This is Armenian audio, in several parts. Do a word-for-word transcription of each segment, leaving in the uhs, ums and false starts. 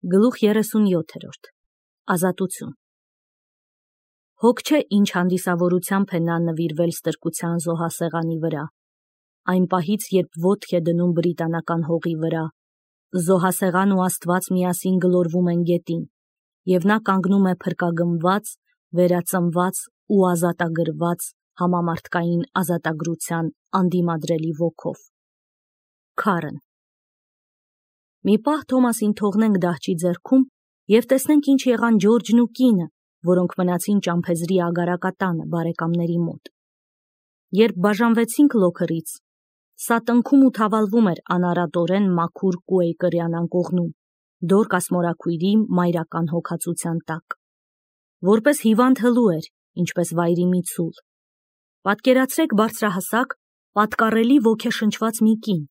Գլուխ երեսունյոթերորդ Ազատություն Հոգ չէ ինչ հանդիսավորությամբ է նա նվիրվել ստրկության զոհասեղանի վրա, այն պահից, երբ ոտք է դնում բրիտանական հողի վրա, զոհասեղան ու Աստված միասին գլորվում են գետին, և նա կանգնում է փրկագնված, վերածնված ու ազատագրված համամարտկային ազատագրության անդիմադրելի ոգով։ Քարն Մի պահ Թոմասին թողնենք դահչի ձեռքում և տեսնենք ինչ եղան Ջորջն ու կինը, որոնք մնացին ճամփեզրի ագարակատանը բարեկամների մոտ։ Երբ բաժանվեցինք Լոքերից, սա տնքում ու թավալվում էր անարատորեն մաքուր Կուեյկերյան անկողնում, Դորկաս մորաքույրի մայրական հոգածության տակ։ Որպես հիվանդ հլու էր, ինչպես վայրի մի ցուլ։ Պատկերացրեք բարձրահասակ, պատկառելի ոգեշնչված մի կին,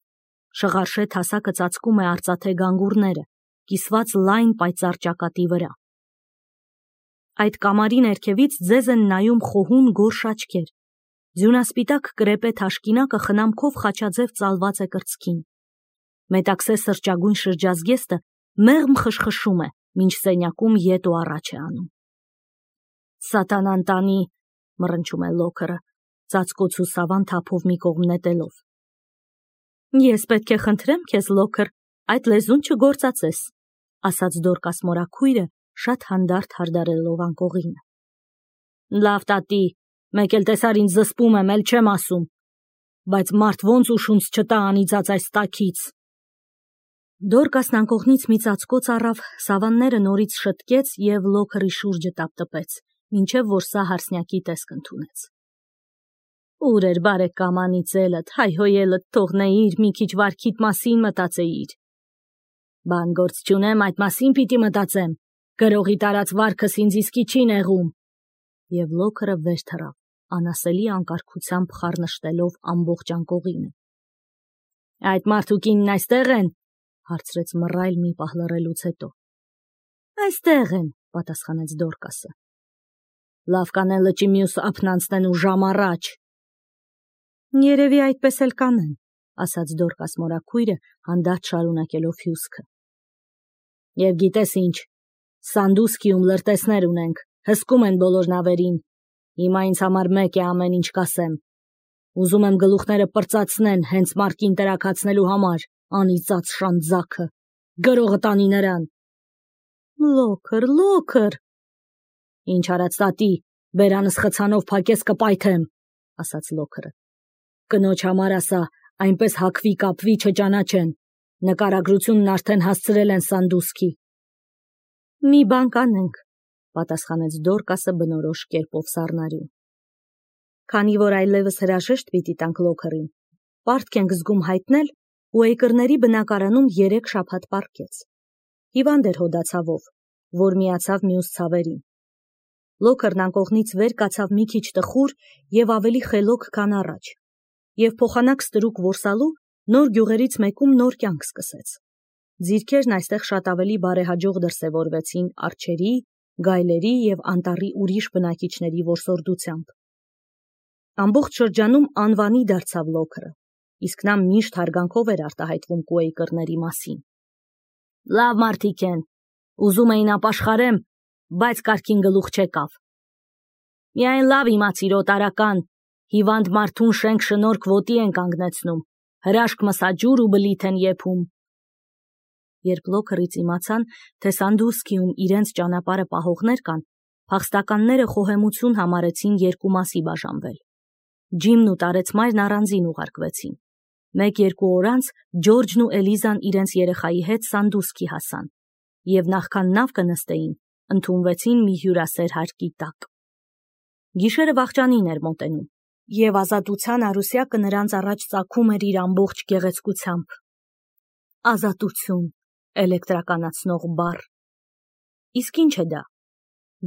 շղարշետ հասակը ծածկում է արծաթե գանգուրները, կիսված լայն պայծառ ճակատի վրա։ Այդ կամարի ներքևից ձեզ են նայում խոհուն գորշ աչքեր, ձյունասպիտակ կրեպե թաշկինակը խնամքով խաչաձև ծալված է կրծքին։ Մետաքսե սրճագույն շրջազգեստը մեղմ խշխշում է, մինչ սենյակում ետ ու առաջ է անում։ Սատանան տանի, մռնչում է Լոքերը, ծածկոց ու սավան թափով մի կողմ նետելով։ Ես պետք է խնդրեմ քեզ, Լոքեր, այդ լեզուն չգործածես, ասաց Դորկաս մորաքույրը, շատ հանդարտ հարդարելով անկողինը։ Լավ տատի, մեկ էլ տեսար ինձ զսպում եմ, էլ չեմ ասում, բայց մարդ ոնց ուշունց չտա անիծած այս տաքից։ Դորկասն անկողնից մի ծածկոց առավ, սավանները նորից շտկեց և Լոքերի շուրջը տապտպեց, մինչև որ սա հարսնյակի տեսք ընդունեց։ Ուր էր բարեկամ անիծելդ, հայհոյելդ թողնեիր, մի քիչ վարքիդ մասին մտածեիր։ Բան գործ չունեմ, այդ մասին պիտի մտածեմ, գրողի տարած վարքս ինձ իսկի չի նեղում։ Եվ Լոքերը վեր թռավ, անասելի անկարգությամբ խառնշտելով ամբողջ անկողինը։ Այդ մարդու կինն այստեղ են, հարցրեց մռայլ մի պահ լռելուց հետո։ Այստեղ են, պատասխանեց Դորկասը։ Լավ կանեն լճի մյուս ափն անցնեն ու ժամ առաջ։ Երևի այդպես էլ կանեն, ասաց Դորկաս մորաքույրը, հանդարտ շարունակելով հյուսքը։ Եվ գիտես ինչ, Սանդուսկիում լրտեսներ ունենք, հսկում են բոլոր նավերին, հիմա ինձ համար մեկ է ամեն ինչ կասեմ։ Ուզում եմ գլուխները պրծացնեն հենց մարկին տրաքացնելու համար, անիծած շանձակը, գրողը տանի նրան։ Լոքեր, Լոքեր։ Ինչ արած տատի, բերանս խցանով փակես կպայթեմ, ասաց Լոքերը։ Կնոջ համար ասա, այնպես հակվի կապվի չճանաչեն, նկարագրությունն արդեն հասցրել են Սանդուսկի։ Մի բան կանենք, պատասխանեց Դորկասը բնորոշ կերպով սառնարյուն։ Քանի որ այլևս հրաժեշտ պիտի տանք Լոքերին, պարտք ենք զգում հայտնել, Կուեյկերների բնակարանում երեք շաբաթ պառկեց։ Հիվանդ էր հոդացավով, որ միացավ մյուս ցավերին։ Լոքերն անկողնից վեր կացավ մի քիչ տխուր և ավելի խելոք, քան առաջ, և փոխանակ ստրուկ որսալու նոր գյուղերից մեկում նոր կյանք սկսեց։ Ձիրքերն այստեղ շատ ավելի բարեհաջող դրսևորվեցին արջերի, գայլերի և անտառի ուրիշ բնակիչների որսորդությամբ։ Ամբողջ շրջանում անվանի դարձավ Լոքերը, իսկ նա միշտ հարգանքով էր արտահայտվում Կուեյկերների մասին։ Լավ մարդիկ են, ուզում էին ապաշխարեմ, բայց կարգին գլուխ չեկավ։ Միայն լավ իմացիր օտարական, հիվանդ մարդուն շենք շնորհք ոտի են կանգնեցնում, հրաշք մսաջուր ու բլիթ են եփում։ Երբ Լոքերից իմացան, թե Սանդուսկիում իրենց ճանապարհը պահողներ կան, փախստականները խոհեմություն համարեցին երկու մասի բաժանվել։ Ջիմն ու տարեցմայրն առանձին ուղարկվեցին։ Մեկ-երկու օր անց Ջորջն ու Էլիզան իրենց երեխայի հետ Սանդուսկի հասան, և նախքան նավ կնստեին, ընդունվեցին մի հյուրասեր հարկի տակ։ Գիշերը վախճանին էր մոտենում, և ազատության արուսյակը նրանց առաջ ծագում էր իր ամբողջ գեղեցկությամբ։ Ազատություն, էլեկտրականացնող բառ։ Իսկ ինչ է դա։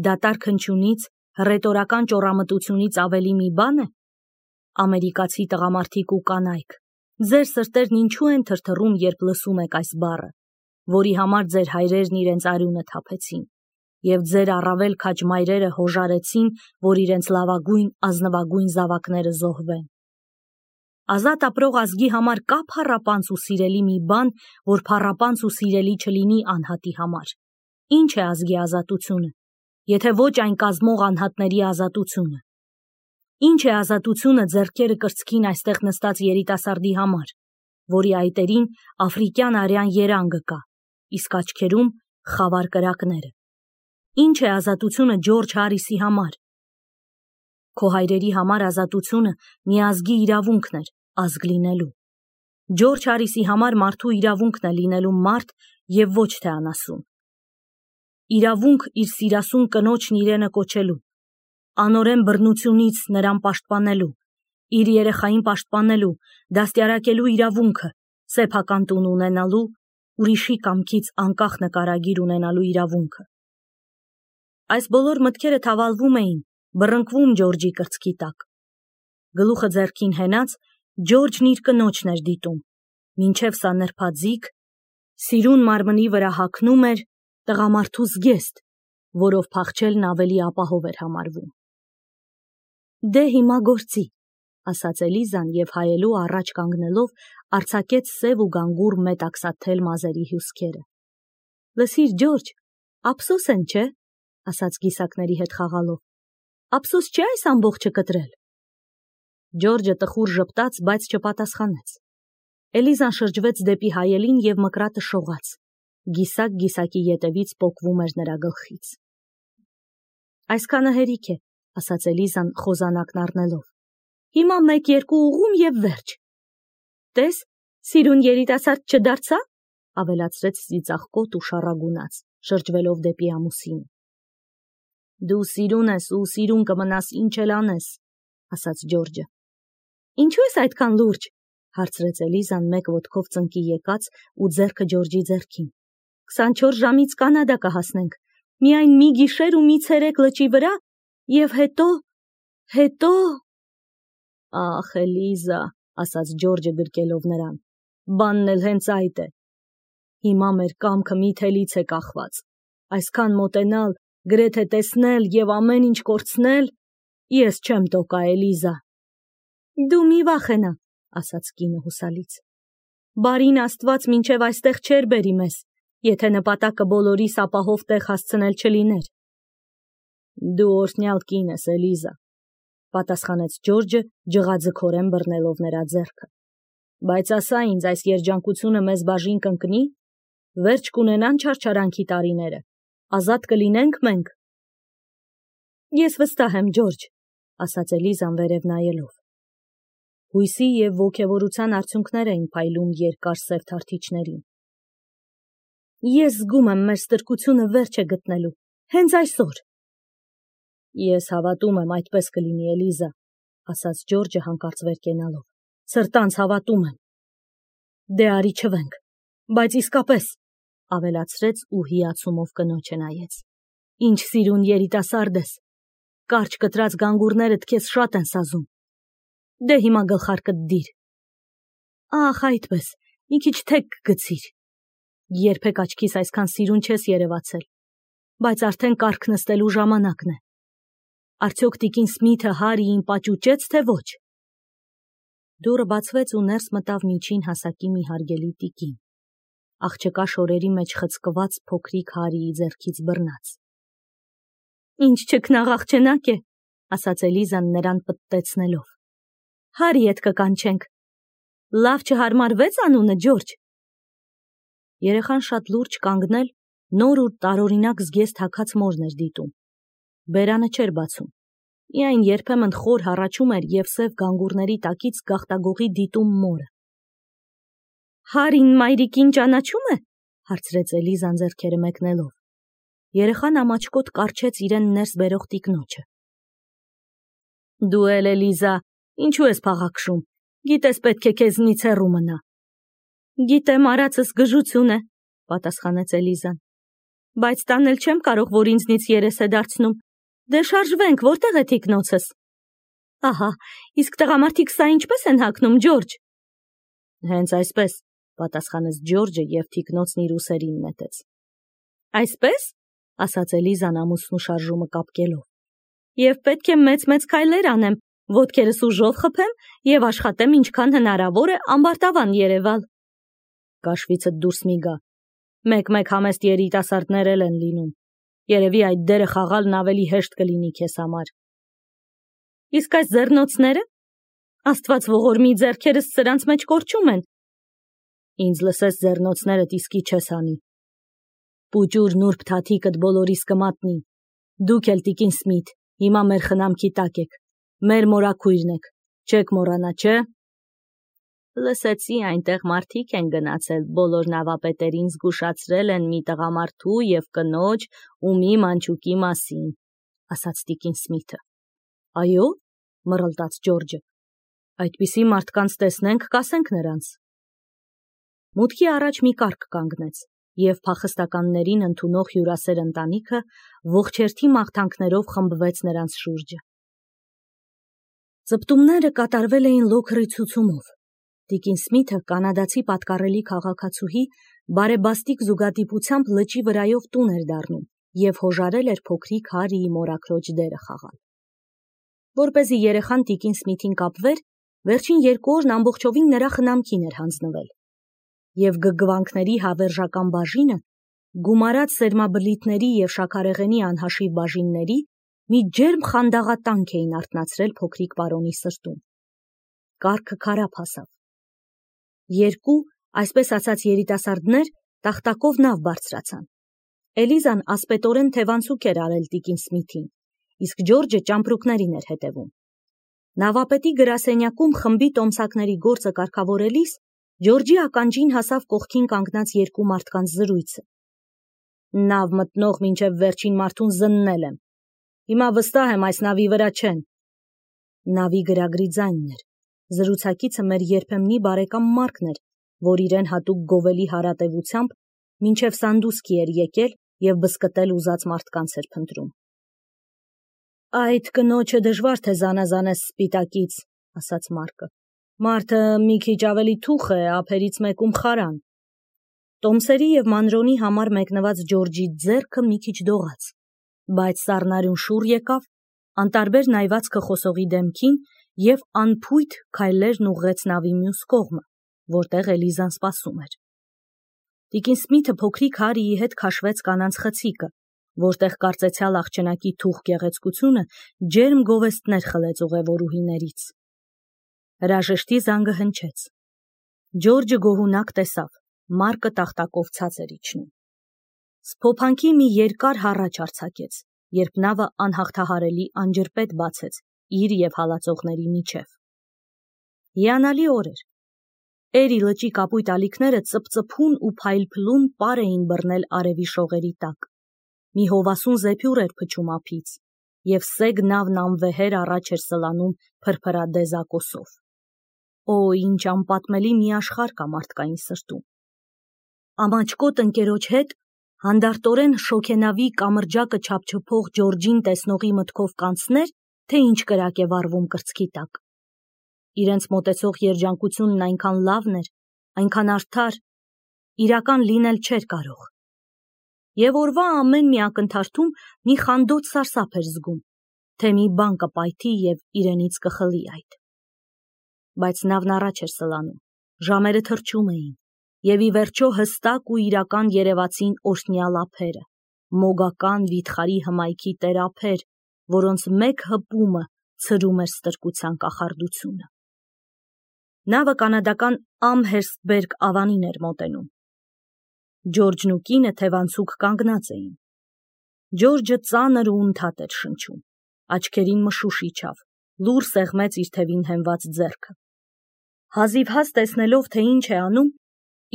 Դատարկ հնչյունից, հռետորական ճոռամտությունից ավելի մի բան է։ Ամերիկացի տղամարդիկ ու կանայք, ձեր սրտերն ինչու են թրթռում, երբ լսում եք այս բառը, որի համար ձեր հայրերն իրենց արյունը թափեցին, և ձեր առավել քաջ մայրերը հոժարեցին, որ իրենց լավագույն ազնվագույն զավակները զոհվեն։ Ազատ ապրող ազգի համար կա փառապանց ու սիրելի մի բան, որ փառապանց ու սիրելի չլինի անհատի համար։ Ինչ է ազգի ազատությունը, եթե ոչ այն կազմող անհատների ազատությունը։ Ինչ է ազատությունը ձեռքերը կրծքին այստեղ նստած երիտասարդի համար, որի այտերին աֆրիկյան արյան երանգը կա, իսկ աչքերում խավար կրակները։ Ինչ է ազատությունը Ջորջ Հարիսի համար։ Քո հայրերի համար ազատությունը մի ազգի իրավունքն էր, ազգ լինելու։ Ջորջ Հարիսի համար մարդու իրավունքն է լինելու մարդ և ոչ թե անասուն։ Իրավունք իր սիրասուն կնոջն իրենը կոչելու, անօրեն բռնությունից նրան պաշտպանելու, իր երեխային պաշտպանելու, դաստիարակելու իրավունքը, սեփական տուն ունենալու, ուրիշի կամքից անկախ նկարագիր ունենալու իրավունքը։ Այս բոլոր մտքերը թավալվում էին, բռնկվում Ջորջի կրծքի տակ։ Գլուխը ձեռքին հենած, Ջորջն իր կնոջն էր դիտում, մինչև սա նրբաձիգ, սիրուն մարմնի վրա հագնում էր տղամարդու զգեստ, որով փախչելն ավելի ապահով էր համարվում։ Դե հիմա գործի, ասաց Էլիզան և հայելու առաջ կանգնելով արձակեց սև ու գանգուր մետաքսաթել մազերի հյուսքերը։ Լսիր, Ջորջ, ափսոս են, չէ՞, ասաց գիսակների հետ խաղալով։ Ափսոս չէ այս ամբողջը կտրել։ Ջորջը տխուր ժպտաց, բայց չպատասխանեց։ Էլիզան շրջվեց դեպի հայելին և մկրատը շողաց։ Գիսակ գիսակի ետևից պոկվում էր նրա գլխից։ Այսքանը հերիք է, ասաց Էլիզան խոզանակն առնելով։ Հիմա մեկ-երկու ուղում և վերջ։ Տես, սիրուն երիտասարդ չդարձա, ավելացրեց ծիծաղկոտ ու շառագունած, շրջվելով դեպի ամուսինը։ Դու սիրուն ես ու սիրուն կմնաս, ինչ էլ անես, ասաց Ջորջը։ Ինչու ես այդքան լուրջ, հարցրեց Էլիզան մեկ ոտքով ծնկի եկած ու ձեռքը Ջորջի ձեռքին։ քսանչորս ժամից Կանադա կհասնենք, միայն մի գիշեր ու մի ցերեկ լճի վրա, և հետո, հետո… Ախ, Էլիզա, ասաց Ջորջը գրկելով նրան, բանն էլ հենց այդ է։ Հիմա մեր կամքը մի թելից է կախված, այսքան մոտենալ, գրեթե տեսնել և ամեն ինչ կորցնել, ես չեմ տոկա, Էլիզա։ Դու մի վախենա, ասաց կինը հուսալից։ Բարին Աստված մինչև այստեղ չէր բերի մեզ, եթե նպատակը բոլորիս ապահով տեղ հասցնել չլիներ։ Դու օրհնյալ կին ես, Էլիզա, պատասխանեց Ջորջը, ջղաձգորեն բռնելով նրա ձեռքը։ Բայց ասա ինձ, այս երջանկությունը մեզ բաժին կընկնի, վերջ կունենան չարչարանքի տարիները, ազատ կլինենք մենք։ Ես վստահ եմ, Ջորջ, ասաց Էլիզան վերև նայելով։ Հույսի և ոգևորության արդյունքներ էին փայլում երկար սև թարթիչներին։ Ես զգում եմ մեր ստրկությունը վերջ է գտնելու, հենց այսօր։ Ես հավատում եմ այդպես կլինի, Էլիզա, ասաց Ջորջը հանկարծ վեր կենալով։ Սրտանց հավատում եմ։ Դե արի չվենք, բայց իսկապես, ավելացրեց ու հիացումով կնոջը նայեց։ Ինչ սիրուն երիտասարդ ես։ Կարճ կտրած գանգուրներդ քեզ շատ են սազում։ Դե հիմա գլխարկդ դիր։ Ախ, այդպես, մի քիչ թեք գցիր։ Երբեք աչքիս այսքան սիրուն չես երևացել, բայց արդեն կառք նստելու ժամանակն է։ Արդյոք տիկին Սմիթը Հարիին պաճուճեց, թե ոչ։ Դուռը բացվեց ու ներս մտավ միջին հասակի մի հարգելի տիկին, աղջկա շորերի մեջ խցկված փոքրիկ Հարիի ձեռքից բռնած։ Ինչ չքնաղ աղջնակ է, ասաց Էլիզան նրան պտտեցնելով։ Հարի հետ կկանչենք։ Լավ չհարմարվեց անունը, Ջորջ։ Երեխան շատ լուրջ կանգնել, նոր ու տարօրինակ զգեստ հագած մորն էր դիտում։ Բերանը չէր բացում։ Միայն երբեմն խոր հառաչում էր և սև գանգուրների տակից գաղտագողի դիտում մորը։ Հարին մայրիկին ճանաչում է, հարցրեց Էլիզան ձեռքերը մեկնելով։ Երեխան ամաչկոտ կառչեց իրեն ներս բերող տիկնոջը։ Դու էլ, Էլիզա, ինչու ես փաղաքշում, գիտես պետք է քեզնից հեռու մնա։ Գիտեմ, արածս գժություն է, պատասխանեց Էլիզան։ Բայց տանել չեմ կարող, որ ինձնից երես է դարձնում։ Դե շարժվենք, որտեղ է թիկնոցս։ Ահա, իսկ տղամարդիկ սա ինչպես են հագնում, Ջորջ։ Հենց այսպես, պատասխանեց Ջորջը և թիկնոցն իր ուսերին նետեց։ Այսպես, ասաց Էլիզան ամուսնու շարժումը կապկելով։ Եվ պետք է մեծ-մեծ քայլեր անեմ, Ոտքերս ուժով խփեմ եւ աշխատեմ ինչքան հնարավոր է ամբարտավան երևալ։ Կաշվիցդ դուրս մի գա։ Մեկ-մեկ համեստ երիտասարդներ էլ են լինում։ Երևի այդ դերը խաղալն ավելի հեշտ կլինի քեզ համար։ Իսկ այս ձեռնոցները, Աստված ողորմի, ձեռքերս սրանց մեջ կորչում են։ Ինձ լսես ձեռնոցներդ իսկի չես անի։ Պուճուր նուրբ թաթիկդ բոլորիս կմատնի։ Դուք էլ տիկին Սմիթ, հիմա մեր խնամքի տակ եք։ Մեր մորաքույրն եք, չեք մոռանա, չէ՞։ Լսեցի այնտեղ մարդիկ են գնացել, բոլոր նավապետերին զգուշացրել են մի տղամարդու եւ կնոջ ու մի մանչուկի մասին, ասաց տիկին Սմիթը։ Այո, մռլտաց Ջորջը։ Այդպիսի մարդկանց տեսնենք, կասենք նրանց։ Մուտքի առաջ մի կառք կանգնեց, եւ փախստականներին ընդունող հյուրասեր ընտանիքը ողջերթի մաղթանքներով խմբվեց նրանց շուրջը։ Ծպտումները կատարվել էին լոքրի ցուցումով։ Տիկին Սմիթը, կանադացի պատկառելի քաղաքացուհի, բարեբաստիկ զուգադիպությամբ լճի վրայով տուն էր դառնում եւ հոժարել էր փոքրիկ Հարիի մորաքրոջ դերը խաղալ։ Որպեսզի երեխան տիկին Սմիթին կապվեր, վերջին երկու օրն ամբողջովին նրա խնամքին էր հանձնվել։ Եվ գգվանքների հավերժական բաժինը, գումարած սերմաբլիթների եւ շաքարեղենի անհաշիվ բաժինների, մի ջերմ խանդաղատանք էին արթնացրել փոքրիկ պարոնի սրտում։ Կառքը քարափ հասավ։ Երկու, այսպես ասած երիտասարդներ, տախտակով նավ բարձրացան։ Էլիզան ասպետորեն թևանցուկ էր արել տիկին Սմիթին, իսկ Ջորջը ճամպրուկներին էր հետևում։ Նավապետի գրասենյակում խմբի տոմսակների գործը կարգավորելիս Ջորջի ականջին հասավ կողքին կանգնած երկու մարդկանց զրույցը։ Նավ մտնող մինչև վերջին մարդուն զննել եմ։ Հիմա վստահ եմ այս նավի վրա չեն։ Նավի գրագրի ձայնն էր։ Զրուցակիցը մեր երբեմնի բարեկամ Մարկն էր, որ իրեն հատուկ գովելի հարատևությամբ մինչև Սանդուսկի էր եկել եւ բսկտել ուզած մարդկանց էր փնտրում։ Այդ կնոջը դժվար թե զանազանես սպիտակից, ասաց Մարկը։ Մարդը մի քիչ ավելի թուխ է, ափերից մեկում խարան։ Տոմսերի եւ մանրոնի համար մեկնված Ջորջի ձեռքը մի քիչ դողաց, բայց սառնարյուն շուռ եկավ, անտարբեր նայվածքը խոսողի դեմքին եւ անփույթ քայլերն ուղղեց նավի մյուս կողմը, որտեղ Էլիզան սպասում էր։ Տիկին Սմիթը փոքրիկ Հարիի հետ քաշվեց կանանց խցիկը, որտեղ կարծեցյալ աղջնակի թուխ գեղեցկությունը ջերմ գովեստներ խլեց ուղևորուհիներից։ Հրաժեշտի զանգը հնչեց։ Ջորջը գոհունակ տեսավ, Մարկը տախտակով ցած էր իջնում։ Սփոփանքի մի երկար հառաչ արձակեց, երբ նավը անհաղթահարելի անջրպետ բացեց իր եւ հալածողների միջև։ Հիանալի օր էր։ Էրի լճի կապույտ ալիքները ծպծփուն ու փայլփլուն պար էին բռնել արևի շողերի տակ։ Մի հովասուն զեփյուռ էր փչում ափից, եւ սեգ նավն անվեհեր առաջ էր սլանում փրփրադեզ ակոսով։ Օ, ինչ անպատմելի մի աշխարհ կա մարդկային սրտում։ Ամաչկոտ ընկերոջ հետ հանդարտորեն շոգենավի կամրջակը չափչփող Ջորջին տեսնողի մտքով կանցներ, թե ինչ կրակ է վառվում կրծքի տակ։ Իրենց մոտեցող երջանկությունն այնքան լավն էր, այնքան արդար, իրական լինել չէր կարող։ Եվ օրվա ամեն մի ակնթարթում մի խանդոտ սարսափ էր զգում, թե մի բան կպայթի եւ իրենից կխլի այդ։ Բայց նավն առաջ էր սլանում, ժամերը թրջում էին, եւ ի վերջո հստակ ու իրական երևացին օրհնյալ ափերը, մոգական վիթխարի հմայքի տերափեր, որոնց մեկ հպումը ցրում էր ստրկության կախարդությունը։ Նավը կանադական Ամհերստբերգ ավանին էր մոտենում։ Ջորջն ու կինը թևանցուկ կանգնած էին։ Ջորջը ծանր ու ընդհատ էր շնչում, աչքերին մշուշ իջավ, լուր սեղմեց իր թևին հենված ձեռքը։ Հազիվհազ տեսնելով, թե ինչ է անում,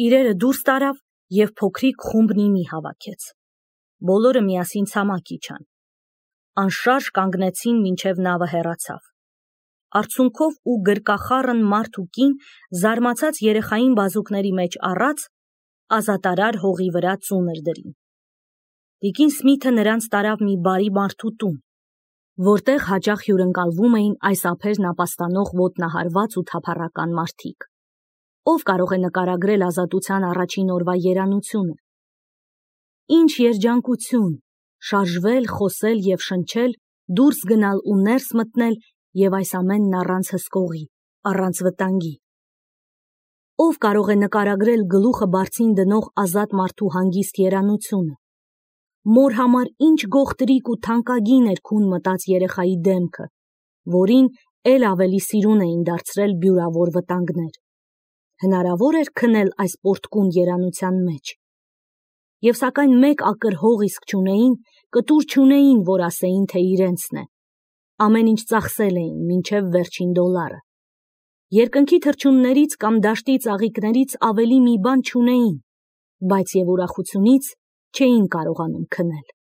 իրերը դուրս տարավ եւ փոքրիկ խումբ նիմի հավաքեց։ Բոլորը միասին ցամաք իջան։ Անշարժ կանգնեցին մինչև նավը հեռացավ։ Արցունքով ու գրկախառն մարդ ու կին զարմացած երեխային բազուկների մեջ առած ազատարար հողի վրա ծունր դրին։ Տիկին Սմիթը նրանց տարավ մի բարի մարդու տուն, որտեղ հաճախ հյուրընկալվում էին այս ափերն ապաստանող ոտնահարված ու թափառական մարդիկ։ Ով կարող է նկարագրել ազատության առաջին օրվա երանությունը։ Ինչ երջանկություն, շարժվել, խոսել եւ շնչել, դուրս գնալ ու ներս մտնել և այս ամենն առանց հսկողի, առանց վտանգի։ Ով կարող է նկարագրել գլուխը բարձին դնող ազատ մարդու հանգիստ երանությունը։ Մոր համար ինչ գողտրիկ ու թանկագին էր քուն մտած երեխայի դեմքը, որին էլ ավելի սիրուն էին դարձրել բյուրավոր վտանգներ։ Հնարավոր էր քնել այս պորտկուն երանության մեջ։ Եվ սակայն մեկ ակրհող իսկ չունեին, կտուր չունեին, որ ասեին, թե իրենցն է։ Ամեն ինչ ծախսել էին, մինչև վերջին դոլարը։ Երկնքի թռչուններից կամ դաշտի ծաղիկներից ավելի մի բան չունեին, բայց և ուրախությունից չէին կարողանում քնել։